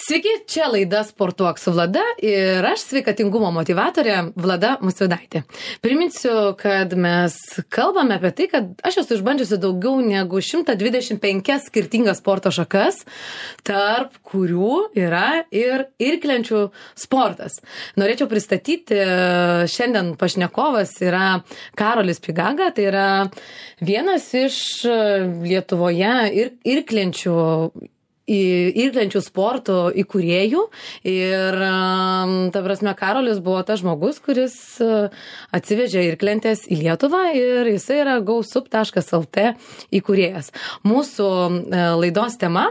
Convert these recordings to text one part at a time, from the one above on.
Sveiki, čia laida Sportuok su Vlada ir aš sveikatingumo motyvatorė Vlada Musvidaitė. Priminsiu, kad mes kalbame apie tai, kad aš esu išbandžiusi daugiau negu 125 skirtingas sporto šakas, tarp kurių yra ir irklenčių sportas. Norėčiau pristatyti, šiandien pašnekovas yra Karolis Pigaga, tai yra vienas iš Lietuvoje irklenčių sportų įkūrėjų ir, ta prasme, Karolis buvo tas žmogus, kuris atsivežė irklentes į Lietuvą ir jisai yra GoSup.lt įkūrėjas. Mūsų laidos tema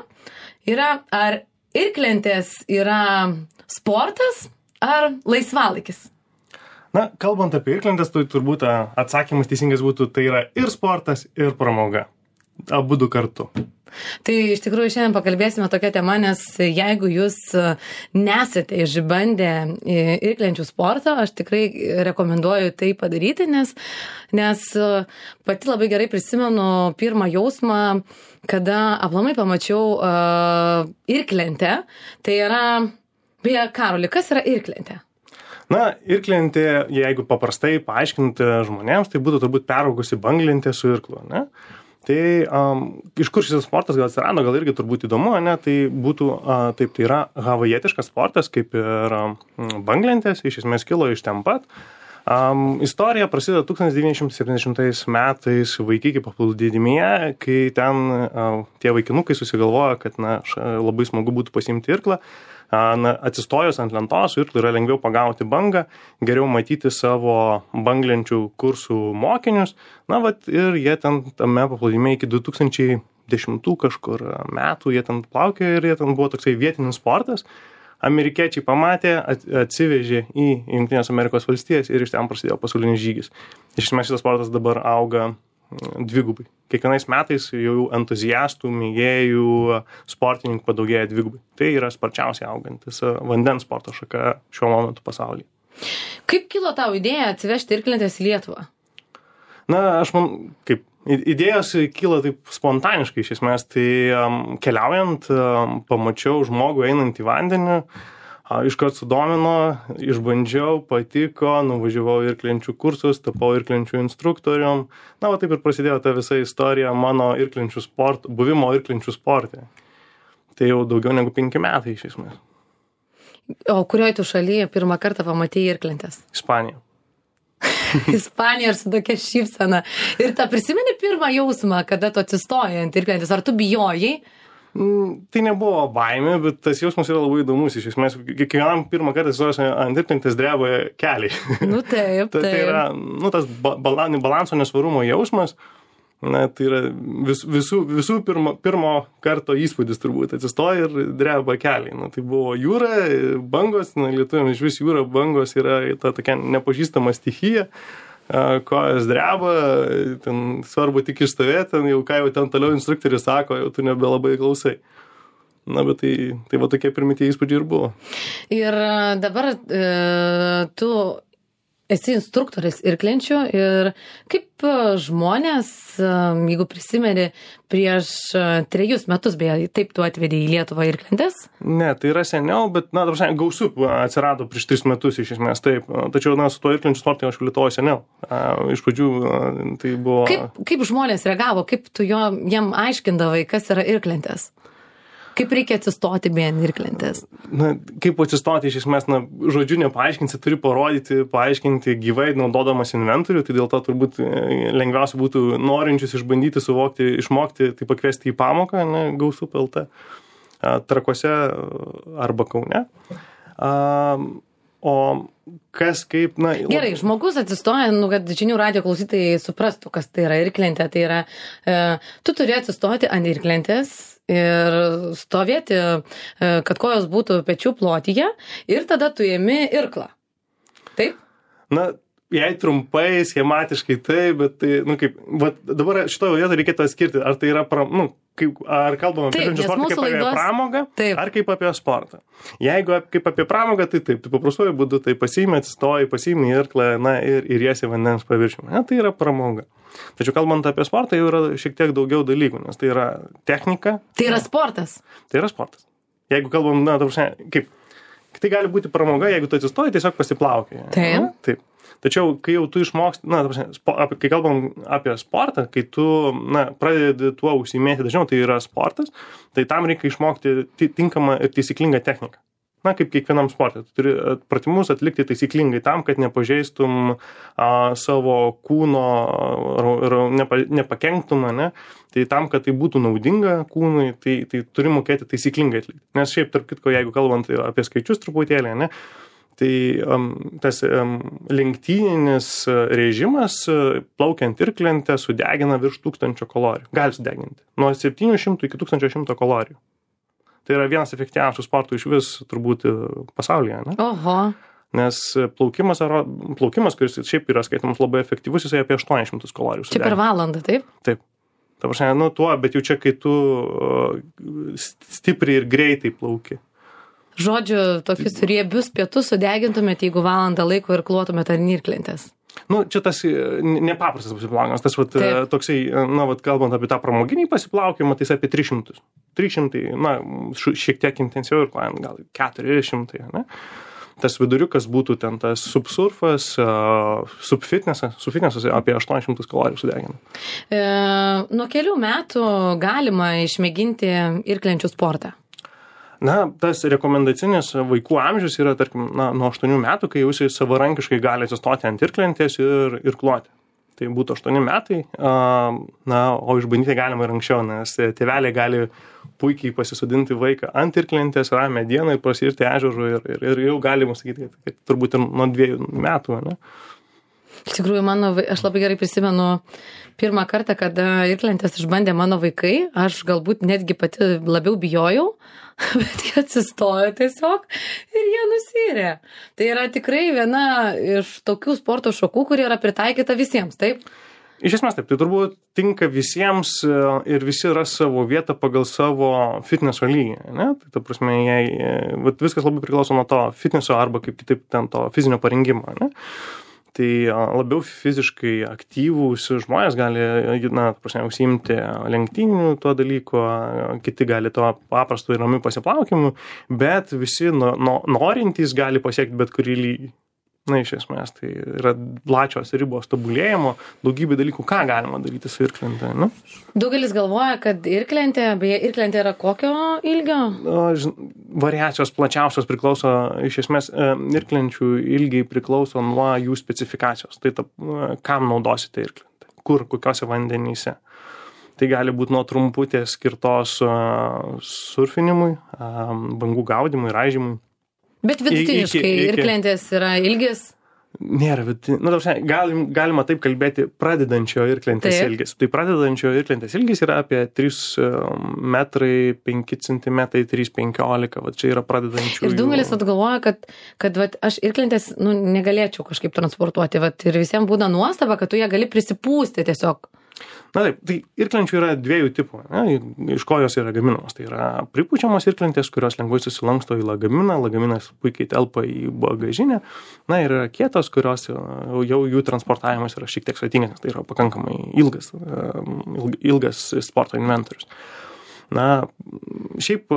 yra, ar irklentės yra sportas ar laisvalaikis? Na, kalbant apie irklentes, tai turbūt atsakymas teisingas būtų, tai yra ir sportas, ir pramoga. Abudu kartu. Tai iš tikrųjų šiandien pakalbėsime tokią temą, nes jeigu jūs nesate išbandę irklenčių sportą, aš tikrai rekomenduoju tai padaryti, nes pati labai gerai prisimenu pirmą jausmą, kada aplamai pamačiau irklentę. Tai yra, beje, Karoli, kas yra irklentė? Na, irklentė, jeigu paprastai paaiškinti žmonėms, tai būtų turbūt peraugusi banglentė su irklu, ne? Tai iš kur šis sportas gal atsirado, gal irgi turbūt įdomu, ne? Tai būtų, taip, tai yra havajietiškas sportas, kaip ir banglentės, iš esmės kilo iš ten pat. Istorija prasideda 1970 metais Vaikiki paplūdimyje, kai ten tie vaikinukai susigalvojo, kad labai smagu būtų pasiimti irklą. Atsistojus ant lentos, irklui yra lengviau pagauti bangą, geriau matyti savo banglenčių kursų mokinius. Ir jie ten tame paplūdimyje iki 2010 kažkur metų jie ten plaukė ir jie ten buvo toksai vietinis sportas. Amerikiečiai pamatė, atsivežė į Jungtinės Amerikos valstijas ir iš ten prasidėjo pasaulinis žygis. Iš esmės šitas sportas dabar auga dvigubai. Kiekvienais metais jau entuziastų, mėgėjų, sportininkų padaugėja dvigubai. Tai yra sparčiausiai augantis vandens sporto šaka šiuo momentu pasaulyje. Kaip kilo tau idėja atsivežti irklentes į Lietuvą? Na, aš kaip idėjos kyla taip spontaniškai iš esmės. Tai keliaujant, pamačiau žmogų einant į vandenį, iškart sudomino, išbandžiau, patiko, nuvažiavau irklenčių kursus, tapau irklenčių instruktorium. Taip ir prasidėjo ta visa istorija mano buvimo irklenčių sporte. Tai jau daugiau negu 5 metai iš esmės. O kurioj tu šalyje pirmą kartą pamatei irklentes? Ispanija. Ispanija ir su tokia šypsena. Ir ta prisimeni pirmą jausmą, kada tu atsistojai ant irklentės? Ar tu bijojai? Tai nebuvo baimė, bet tas jausmas yra labai įdomus. Iš esmės, kiekvienam pirmą kartą atsistojus ant irklentės dreba keliai. Taip. Tai yra, tas balanso nesvarumo jausmas. Tai yra visų pirmo karto įspūdis turbūt. Atsistoja ir dreba keliai. Tai buvo jūra, bangos, lietuviams iš vis jūra, bangos yra ta tokia nepažįstama stichija. Kojas dreba, ten svarbu tik išstovėti, jau ką jau ten toliau instruktorius sako, jau tu nebelabai klausai. Bet tai va tokie pirmi tie įspūdžiai ir buvo. Ir dabar tu esi instruktoris irklenčių ir kaip žmonės, jeigu prisimeni, prieš 3 metus, beje, taip tu atvedei į Lietuvą irklentes? Ne, tai yra seniau, bet, GoSup atsirado prieš 3 metus iš esmės, taip. Tačiau, su tuo irklenčių sportu aš Lietuvoje seniau. Iš pradžių tai buvo... Kaip žmonės reagavo, kaip tu jiem aiškindavai, kas yra irklentės? Kaip reikia atsistoti be irklentės? Kaip atsistoti, iš esmės, žodžiu nepaaiškinsi, turi paaiškinti gyvai, naudodamas inventorių, tai dėl to turbūt lengviausia būtų norinčius išbandyti, suvokti, išmokti, tai pakviesti į pamoką, GoSup.lt, Trakuose arba Kaune. O kas kaip, Gerai, žmogus atsistoja, kad žinių radijo klausytojai suprastų, kas tai yra irklentė. Tai yra, tu turi atsistoti ant irklentės ir stovėti, kad kojos būtų pečių plotyje ir tada tu ėmi irklą. Taip? Jei trumpai, schematiškai taip, bet tai, dabar šitoje vietoje reikėtų atskirti, ar tai yra, ar kalbame apie irklenčių sportą kaip apie pramogą, ar kaip apie sportą. Jeigu kaip apie pramogą, tai taip, tu paprastuoju būdu, tai pasiimi, atsistoji, pasiimi irklą, ir jiesi vandens paviršiumi. Tai yra pramoga. Tačiau kalbant apie sportą, jau yra šiek tiek daugiau dalykų, nes tai yra technika. Tai yra sportas. Tai yra sportas. Jeigu kalbam, na, ta prasme, kaip, tai gali būti pramoga, jeigu tu atsistoji, tiesiog pasiplaukia. Taip. Taip. Tačiau, kai jau tu išmoksti, na, ta prasme, kai kalbam apie sportą, kai tu, na, pradedi tuo užsiimėti dažniau, tai yra sportas, tai tam reikia išmokti tinkamą ir teisinglingą techniką. Na, kaip kiekvienam sportui. Tu turi pratimus atlikti taisyklingai tam, kad nepažeistum savo kūno ir nepakenktum, ne? Tai tam, kad tai būtų naudinga kūnui, tai turi mokėti taisyklingai atlikti. Nes šiaip, tarp kitko, jeigu kalbant apie skaičius truputėlį, ne? Tai tas lenktyninis režimas plaukiant irklente sudegina virš 1000 kalorijų. Gali sudeginti. Nuo 700 iki 1100 kalorijų. Tai yra vienas efektyviausių sportų iš vis turbūt pasaulyje, ne? Oho. Nes plaukimas, kuris šiaip yra skaitomas labai efektyvus, jisai apie 800 kalorijų. Čia per valandą, taip? Taip. Ta prasme, nu tuo, bet jau čia, kai tu stipriai ir greitai plauki. Žodžiu, tokius riebius pietus sudegintumėte, jeigu valandą laiko ir klotumėte ant irklentės. Nu, čia tas nepaprastas pasiplaukimas, tas vat, toksai, na, vat, kalbant apie tą pramoginį pasiplaukimą, tai jis apie 300. 300, na, šiek tiek intensyviau ir klajant, gal 400, ne? Tas viduriukas būtų ten tas subsurfas, subfitnesas apie 800 kalorijų sudegina. Nuo kelių metų galima išmėginti irklenčių sportą? Na, tas rekomendacinis vaikų amžius yra, tarkim, na, nuo 8 metų, kai jūs savarankiškai gali atsistoti ant irklentės ir kloti. Tai būtų 8 metai, na, o išbandyti galima ir anksčiau, nes tėveliai gali puikiai pasisodinti vaiką ant irklentės, ramią dieną ir prasirti ežerų ir jau galima sakyti, kad turbūt ir nuo 2 metų, ne? Iš tikrųjų, aš labai gerai prisimenu pirmą kartą, kada irklentės išbandė mano vaikai, aš galbūt netgi pati labiau bijojau, bet jie atsistojo tiesiog ir jie nusirė. Tai yra tikrai viena iš tokių sporto šakų, kurie yra pritaikyta visiems, taip? Iš esmės taip, tai turbūt tinka visiems ir visi ras savo vietą pagal savo fitneso lygį, ne? Tai ta prasme, viskas labai priklauso nuo to fitneso arba kaip kitaip ten to fizinio parengimo, ne? Tai labiau fiziškai aktyvūs žmonės gali, na, prasme, užsiimti lenktyninių tuo dalyko, kiti gali to paprastu ir ramiu pasiplaukimu, bet visi norintys gali pasiekti bet kurį lygį. Na, iš esmės, tai yra plačios ribos tobulėjimo, daugybė dalykų, ką galima daryti su irklente, ne? Daugelis galvoja, kad irklentė yra kokio ilgio? Variacijos plačiausios priklauso, iš esmės, irklenčių ilgiai priklauso nuo jų specifikacijos. Tai kam naudosite irklentę? Kur, kokiose vandenyse? Tai gali būti nuo trumputės skirtos surfinimui, bangų gaudymui, raižymui. Bet vidutiniškai irklentės yra ilgis? Nėra vidutinis. Nu, galima taip kalbėti pradedančio irklentės ilgis. Tai pradedančio irklentės ilgis yra apie 3 metrai, 5 centimetrai, 3,15. Va, čia yra pradedančių. Ir daugelis atgalvoja, kad vat, aš irklentės negalėčiau kažkaip transportuoti. Vat, ir visiems būna nuostaba, kad tu ją gali prisipūsti tiesiog. Na taip, tai irklenčių yra 2 tipų, ne? Iš ko jos yra gaminamos. Tai yra pripučiamos irklentės, kurios lengvai susilanksto į lagaminą, lagaminas puikiai telpa į bagažinę. Na ir yra kietos, kurios jau jų transportavimas yra šiek tiek sudėtingas, tai yra pakankamai ilgas sporto inventorius. Na, šiaip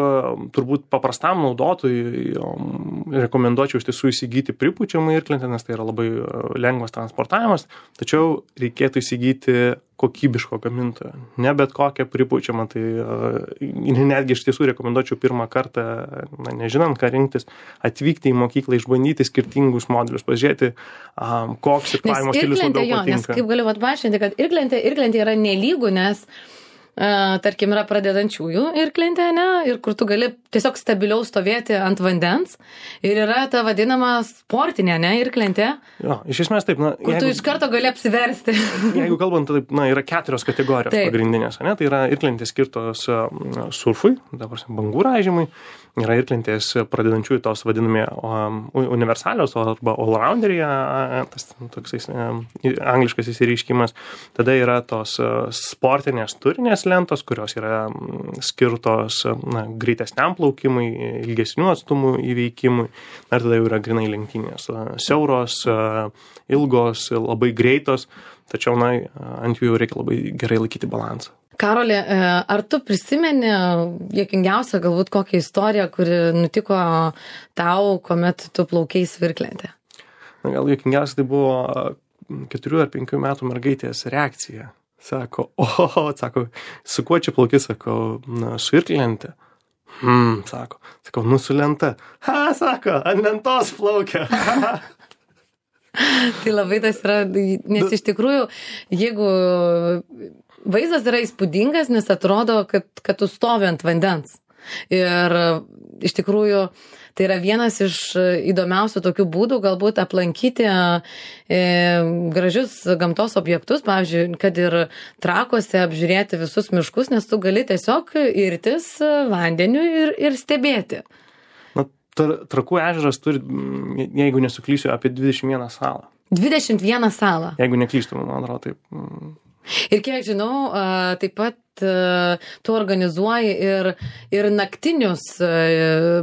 turbūt paprastam naudotojui rekomenduočiau iš tiesų įsigyti pripučiamą irklentę, nes tai yra labai lengvas transportavimas, tačiau reikėtų įsigyti kokybiško gamintojo, ne bet kokią pripučiamą. Tai netgi iš tiesų rekomenduočiau pirmą kartą, na, nežinant, ką rinktis, atvykti į mokyklą, išbandyti skirtingus modelius, pažiūrėti, koks irklavimo stilius labiau patinka. Nes kaip galiu atpažinti, kad irklentė yra nelygų, nes tarkim, yra pradedančiųjų irklentė, ne? Ir kur tu gali tiesiog stabiliau stovėti ant vandens. Ir yra ta vadinama sportinė, ne, irklentė. Jo, iš esmės taip. Na, kur tu iš karto gali apsiversti. Jeigu kalbant, taip, na, yra 4 kategorijos pagrindinės, ne? Tai yra irklentės skirtos surfui, dabar bangų raižymui. Yra irklentės pradedančiųjų tos vadinami universalios arba all-rounderyje, tas toksais angliškas įsireiškimas. Tada yra tos sportinės turinės lentos, kurios yra skirtos greitesniam plaukimui, ilgesnių atstumų įveikimui. Ir tada jau yra grinai lenktynės. Siauros, ilgos, labai greitos, tačiau ant jų jau reikia labai gerai laikyti balansą. Karoli, ar tu prisimeni juokingiausią galbūt kokią istoriją, kuri nutiko tau, kuomet tu plaukei svirklentę? Na, gal juokingiausia tai buvo 4 ar 5 metų mergaitės reakcija. Sako, sako, su kuo čia plauki, sako, su irklente. Sako, su lenta. Sako, ant lentos plaukia. Tai labai tas yra, nes iš tikrųjų, jeigu vaizdas yra įspūdingas, nes atrodo, kad tu stovi ant vandens. Ir iš tikrųjų, tai yra vienas iš įdomiausių tokių būdų galbūt aplankyti gražius gamtos objektus, pavyzdžiui, kad ir Trakuose apžiūrėti visus miškus, nes tu gali tiesiog irtis vandeniu ir stebėti. Na, Trakų ežeras turi, jeigu nesuklysiu, apie 21 salą. 21 salą. Jeigu neklystu, man atrodo, taip. Ir kiek žinau, taip pat tu organizuoji ir naktinius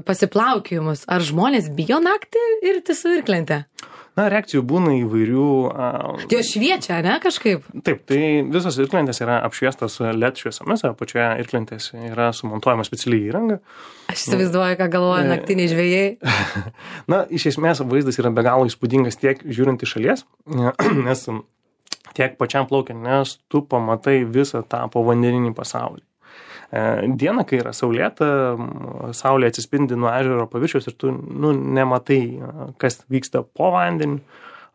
pasiplaukiojimus. Ar žmonės bijo naktį irti su irklente? Na, reakcijų būna įvairių. Jos šviečia, ne, kažkaip? Taip, tai visos irklentės yra apšviestos LED šviesomis, apačioje irklentės yra sumontuojama specialiai įranga. Aš įsivaizduoju, ką galvoja naktiniai žvejai. Na, iš esmės vaizdas yra be galo įspūdingas tiek žiūrint iš šalies, nes tiek pačiam plaukiant, nes tu pamatai visą tą povandeninį pasaulį. Dieną, kai yra saulėta, saulė atsispindi nuo ežero paviršiaus ir tu nematai, kas vyksta po vandeniu.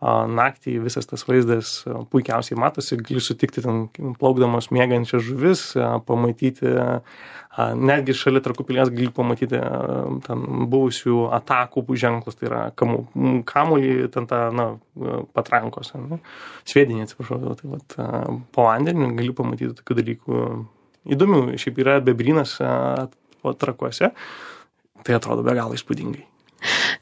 Naktį visas tas vaizdas puikiausiai matosi, gali sutikti ten plaukdamas mėgančias žuvis, pamatyti, netgi šalia Trakų pilies gali pamatyti ten buvusių atakų ženklus, tai yra kamuolį, ten ta, patrankos, sviedinį, atsiprašau, tai vat, po vandeniu gali pamatyti tokių dalykų įdomių. Šiaip yra bebrynas Trakuose, tai atrodo be galo įspūdingai.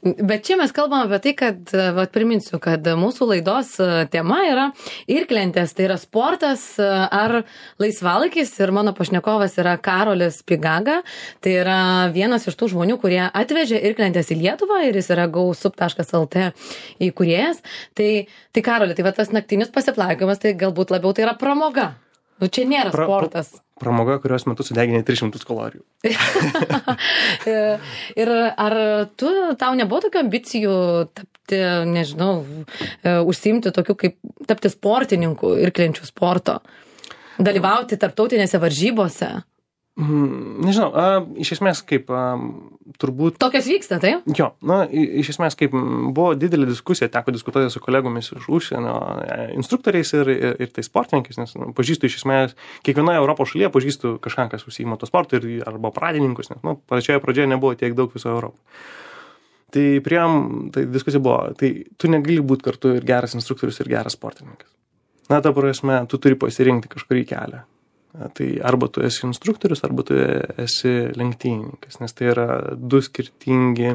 Bet čia mes kalbame apie tai, kad, priminsiu, kad mūsų laidos tema yra irklentės, tai yra sportas ar laisvalaikis ir mano pašnekovas yra Karolis Pigaga, tai yra vienas iš tų žmonių, kurie atvežė irklentės į Lietuvą ir jis yra GoSup.lt įkūrėjas. Tai Karoli, tai tas naktinis pasiplaukimas, tai galbūt labiau tai yra pramoga. Čia nėra sportas. Pramoga, kurios metu sudeginė 300 kalorijų. Ir ar tau nebuvo tokių ambicijų tapti, nežinau, užsiimti tokiu kaip tapti sportininku irklenčių sporto, dalyvauti tarptautinėse varžybose? Nežinau, iš esmės kaip turbūt... Tokios vyksta, tai? Jo, iš esmės kaip buvo didelė diskusija, teko diskutuoti su kolegomis iš užsienio instruktoriais ir tai sportininkais, nes pažįstu iš esmės, kiekvienoje Europos šalyje pažįstu kažką, kas užsiima to sportu arba pradininkus, nes pradžioje nebuvo tiek daug viso Europoje. Tai diskusija buvo, tai tu negali būti kartu ir geras instruktorius ir geras sportininkas. Na, ta prasme, tu turi pasirinkti kažkurį kelią. Tai arba tu esi instruktorius, arba tu esi lenktynininkas, nes tai yra 2 skirtingi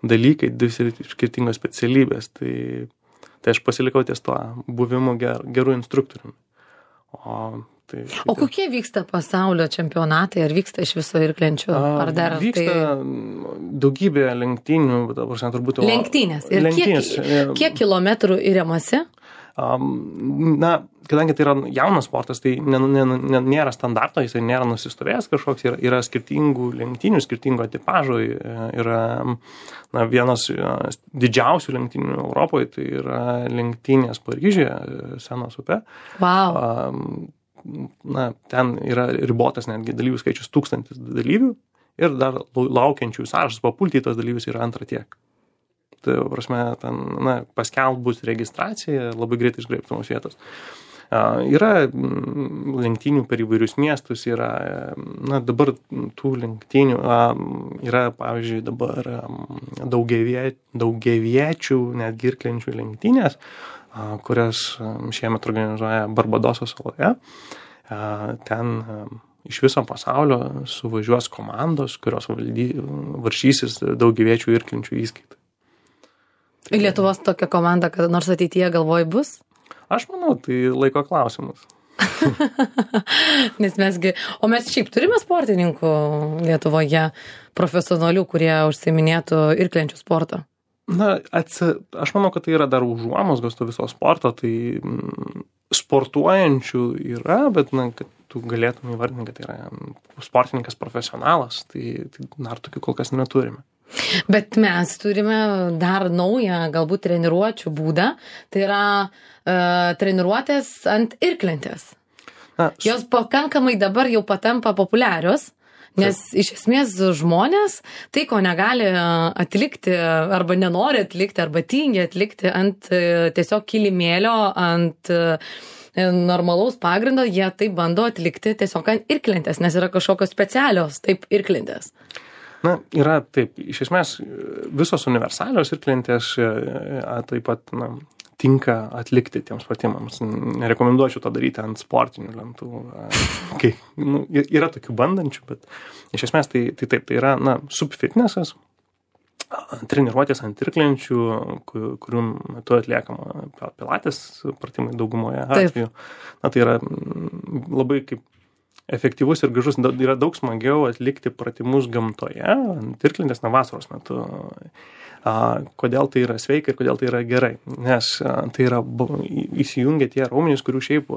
dalykai, 2 skirtingos specialybės. Tai aš pasilikau ties tuo buvimu gerų instruktoriumi. O kokie vyksta pasaulio čempionatai, ar vyksta iš viso irklenčių, ar dar? Vyksta daugybė lenktynių, turbūt... Lenktynės. Ir kiek kilometrų įremasi? Na, kadangi tai yra jaunas sportas, tai nėra standarto, jis nėra nusistovėjęs kažkoks, yra skirtingų lenktynių, skirtingo tipažo, yra vienas didžiausių lenktynių Europoje, tai yra lenktynės Paryžiuje, Senos upe. Wow. Na, ten yra ribotas netgi dalyvių skaičius 1000 dalyvių ir dar laukiančių sąrašas papulti į tos dalyvius yra antra tiek. Tai, prasme, ten, paskelbus registraciją, labai greitai išgraibtumos vietos. Yra lenktynių per įvairius miestus, yra, dabar tų lenktynių yra, pavyzdžiui, dabar daugiaviečių, netgi irklenčių lenktynės, kurias šiemet organizuoja Barbadoso saloje. Ten iš viso pasaulio suvažiuos komandos, kurios varžysis daugiaviečių irklenčių įskaitai. Lietuvos tokia komanda, kad nors ateityje galvoj bus? Aš manau, tai laiko klausimas. Nes mes šiaip turime sportininkų Lietuvoje, profesionalių, kurie užsiiminėtų irklenčių sporto? Na, aš manau, kad tai yra dar užuomazgos to viso sporto, tai sportuojančių yra, bet kad tu galėtum įvardinti, kad tai yra sportininkas profesionalas, tai dar tokių kol kas neturime. Bet mes turime dar naują, galbūt treniruočių būdą, tai yra treniruotės ant irklentės. Jos pakankamai dabar jau patampa populiarios, nes iš esmės žmonės tai, ko negali atlikti arba nenori atlikti arba tingi atlikti ant tiesiog kilimėlio, ant normalaus pagrindo, jie tai bando atlikti tiesiog ant irklentės, nes yra kažkokios specialios taip irklentės. Na, yra taip, iš esmės visos universalios irklentės taip pat tinka atlikti tiems pratimams. Nerekomenduočiau to daryti ant sportinių lentų. Yra tokių bandančių, bet iš esmės tai taip, tai yra subfitnessas, treniruotės ant irklenčių, kurių metu atliekama pilates pratimai daugumoje atveju. Tai yra labai kaip efektyvus ir gražus, yra daug smagiau atlikti pratimus gamtoje, ant irklentės vasaros metu. Kodėl tai yra sveika ir kodėl tai yra gerai. Nes tai yra įsijungia tie raumenys, kurių šiaip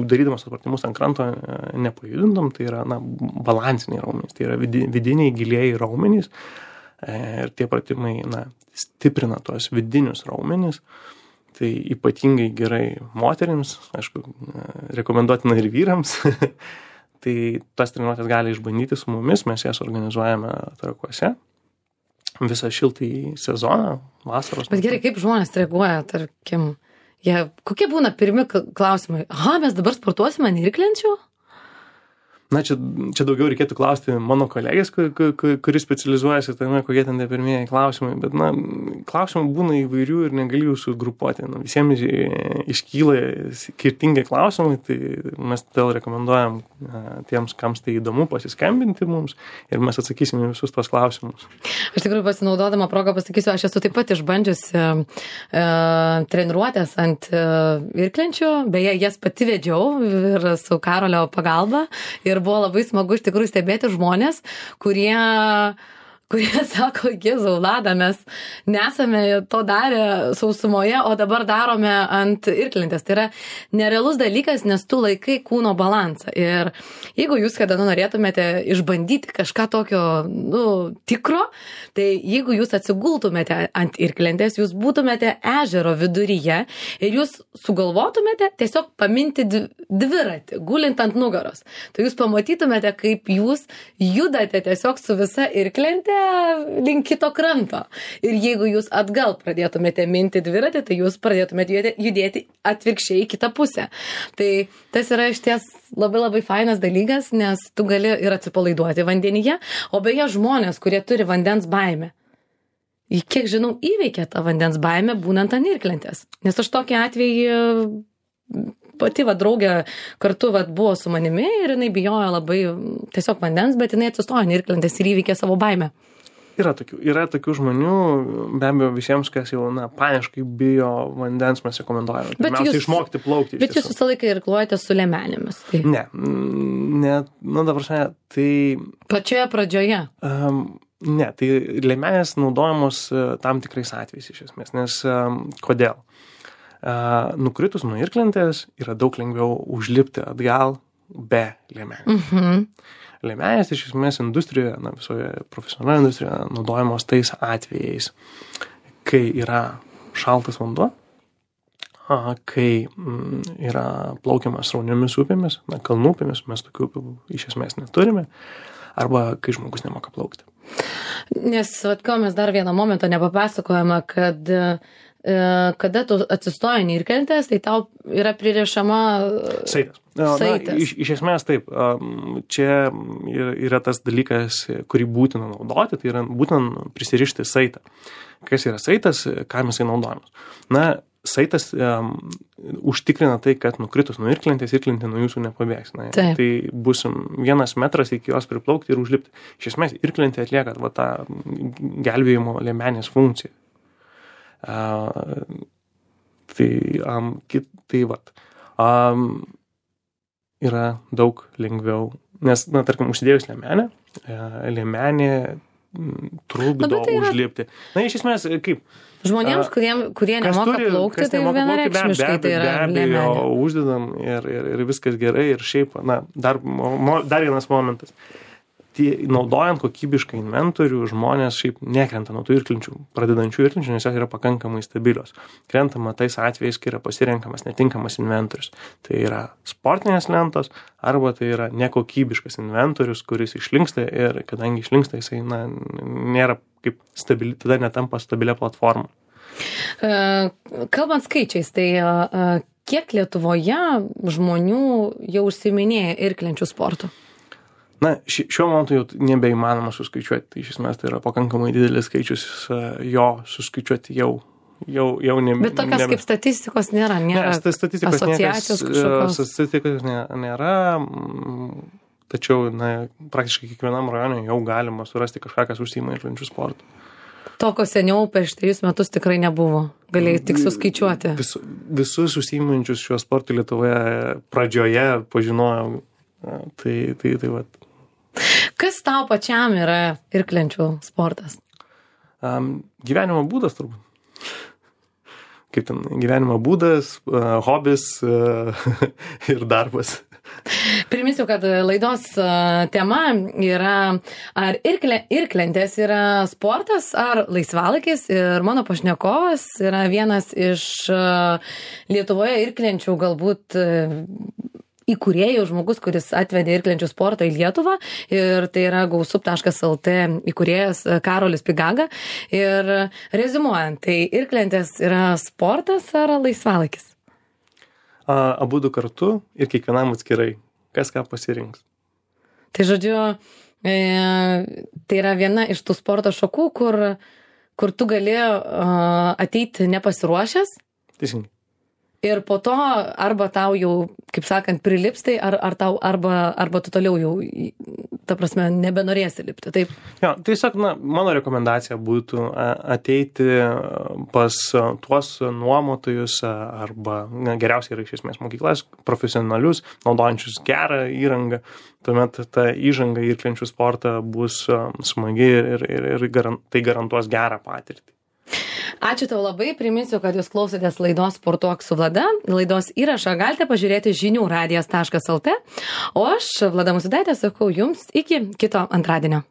darydamas pratimus ant kranto nepajudintum, tai yra balansiniai raumenys, tai yra vidiniai gilieji raumenys ir tie pratimai stiprina tuos vidinius raumenys. Tai ypatingai gerai moterims, aišku, rekomenduotina ir vyrams. Tai tas treniruotės gali išbandyti su mumis, mes jas organizuojame Trakuose. Visą šiltąjį sezoną, vasaros. Bet gerai, kaip žmonės reaguoja, tarkim, kokie būna pirmi klausimai? Mes dabar sportuosime ant irklenčių? Čia daugiau reikėtų klausti mano kolegės, kuris specializuojasi, kokie ten tie pirmieji klausimai, bet klausimų būna įvairių ir negali jų sugrupuoti. Visiems iškyla skirtingi klausimai, tai mes todėl rekomenduojam tiems, kams tai įdomu, pasiskambinti mums ir mes atsakysime visus tos klausimus. Aš tikrųjų pasinaudodama progą pasakysiu, aš esu taip pat išbandžiusi treniruotės ant irklenčių, beje, jas pati vedžiau ir su Karolio pagalba. Ir buvo labai smagu iš tikrųjų stebėti žmonės, kurie sako, Jėzau, Lada, mes nesame to darę sausumoje, o dabar darome ant irklentės. Tai yra nerealus dalykas, nes tu laikai kūno balansą. Ir jeigu jūs kada norėtumėte išbandyti kažką tokio, tikro, tai jeigu jūs atsigultumėte ant irklentės, jūs būtumėte ežero viduryje ir jūs sugalvotumėte tiesiog paminti dviratį, gulint ant nugaros. Tai jūs pamatytumėte, kaip jūs judate tiesiog su visa irklentė link kito kranto. Ir jeigu jūs atgal pradėtumėte minti dviratį, tai jūs pradėtumėte judėti atvirkščiai į kitą pusę. Tai tas yra išties labai labai fainas dalykas, nes tu gali ir atsipalaiduoti vandenyje, o beje žmonės, kurie turi vandens baimę, kiek žinau, įveikia tą vandens baimę būnant ant irklentės. Nes aš tokį atvejį pati draugė kartu buvo su manimi ir jinai bijojo labai tiesiog vandens, bet jinai atsistojo ant irklentės ir įveikė savo baimę. Yra tokių žmonių, be abejo visiems, kas jau paniškai bijo vandens, mes rekomenduojame. Pirmiausia, išmokti plaukti. Bet jūs visą laiką irkluojate su liemenėmis. Tai. Ne, dabar tai... Pačioje pradžioje? Ne, tai liemenės naudojamos tam tikrais atvejais iš esmės, nes kodėl? Nukritus nuo irklentės yra daug lengviau užlipti atgal be liemenės. Liemenės iš esmės industrijoje, visoje profesionalioje industrijoje naudojamos tais atvejais, kai yra šaltas vanduo, kai yra plaukiamas srauniomis upėmis, kalnų upėmis, mes tokių upių iš esmės neturime, arba kai žmogus nemoka plaukti. Nes, ko mes dar vieną momentą nepapasakojame, kad kada tu atsistoji ant irklentės, tai tau yra pririšama saitas. Saitas. Iš esmės taip, čia yra tas dalykas, kurį būtina naudoti, tai yra būtina prisirišti saitą. Kas yra saitas, kam jisai naudojamas? Saitas užtikrina tai, kad nukritus nuo irklentės, irklentė nuo jūsų nepabėgs. Tai bus 1 metras iki jos priplaukti ir užlipti. Iš esmės, irklentė atlieka tą gelbėjimo liemenės funkciją. Yra daug lengviau, nes, tarkim, užsidėjus liemenę trukdo užlipti. Na, iš esmės, kaip? Žmonėms, kurie nemoka plaukti, tai vienareikšmiškai tai yra liemenė. Uždedam ir viskas gerai. Ir šiaip, na, dar vienas momentas. Naudojant kokybišką inventorių, žmonės šiaip nekrenta nuo tų irklinčių, pradedančių irklinčių, nes jos yra pakankamai stabilios. Krentama tais atvejais, kai yra pasirenkamas netinkamas inventorius. Tai yra sportinės lentos arba tai yra nekokybiškas inventorius, kuris išlinksta ir kadangi išlinksta, jisai nėra kaip stabili, tada netampa stabilia platforma. Kalbant skaičiais, tai kiek Lietuvoje žmonių jau užsiiminėja irklinčių sportų? Na, šiuo momentu jau nebeįmanoma suskaičiuoti. Tai iš esmės tai yra pakankamai didelis skaičius, jo suskaičiuoti jau nebe. Bet tokios kaip statistikos nėra? Ne, statistikos asociacijos kažkokios? Statistikos nėra, tačiau praktiškai kiekvienam rajone jau galima surasti kažką, kas užsiima irklinčių sportų. To, ko seniau prieš 3 metus tikrai nebuvo. Galėjai tik suskaičiuoti. Visus užsiimančius šiuo sportu Lietuvoje pradžioje pažinojau. Tai vat. Kas tau pačiam yra irklinčių sportas? Gyvenimo būdas turbūt. Kaip ten, gyvenimo būdas, hobis ir darbas. Priminsiu, kad laidos tema yra, ar irklentės yra sportas ar laisvalaikis, ir mano pašnekovas yra vienas iš Lietuvoje irklenčių galbūt įkūrėjų, žmogus, kuris atvedė irklenčių sportą į Lietuvą, ir tai yra gausup.lt įkūrėjas Karolis Pigaga. Ir reziumuojant, tai irklentės yra sportas ar laisvalaikis? Abudu kartu ir kiekvienam atskirai. Kas ką pasirinks. Tai žodžiu, tai yra viena iš tų sporto šakų, kur tu gali ateiti nepasiruošęs. Teisingai. Ir po to arba tau jau, kaip sakant, prilips tai, arba tu toliau jau, ta prasme, nebenorėsi lipti, taip? Jo, tiesiog, mano rekomendacija būtų ateiti pas tuos nuomotojus arba geriausiai yra iš esmės mokyklas, profesionalius, naudojančius gerą įrangą. Tuomet ta įžanga į irklinčių sportą bus smagi ir tai garantuos gerą patirtį. Ačiū tau labai, priminsiu, kad jūs klausėtės laidos Sportuok su Vlada. Laidos įrašą galite pažiūrėti žinių radijas.lt, o aš, Vlada Musvydaitė, sakau jums iki kito antradienio.